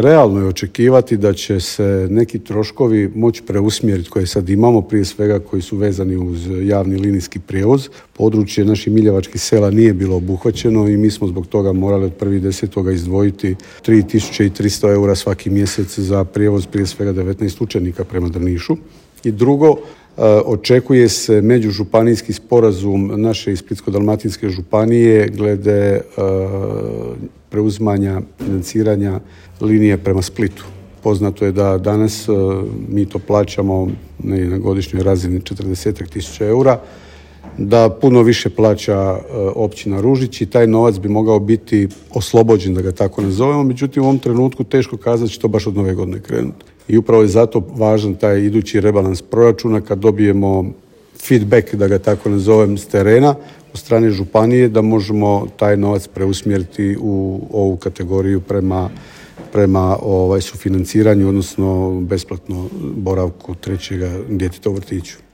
realno je očekivati da će se neki troškovi moći preusmjeriti koje sad imamo, prije svega koji su vezani uz javni linijski prijevoz. Područje naših miljevačkih sela nije bilo obuhvaćeno i mi smo zbog toga morali od 1.10. izdvojiti 3.300 eura svaki mjesec za prijevoz prije svega 19 učenika prema Drnišu. I drugo, očekuje se međužupanijski sporazum naše i Splitsko-dalmatinske županije glede preuzimanja financiranja linije prema Splitu. Poznato je da danas mi to plaćamo na godišnjoj razini 40.000 eura, da puno više plaća općina Ružić i taj novac bi mogao biti oslobođen, da ga tako nazovemo, međutim u ovom trenutku teško kazati će to baš od nove godine krenuti. I upravo je zato važan taj idući rebalans proračuna kad dobijemo feedback, da ga tako nazovem, s terena od strane županije, da možemo taj novac preusmjeriti u ovu kategoriju prema sufinanciranju, odnosno besplatno boravku trećega djeteta u vrtiću.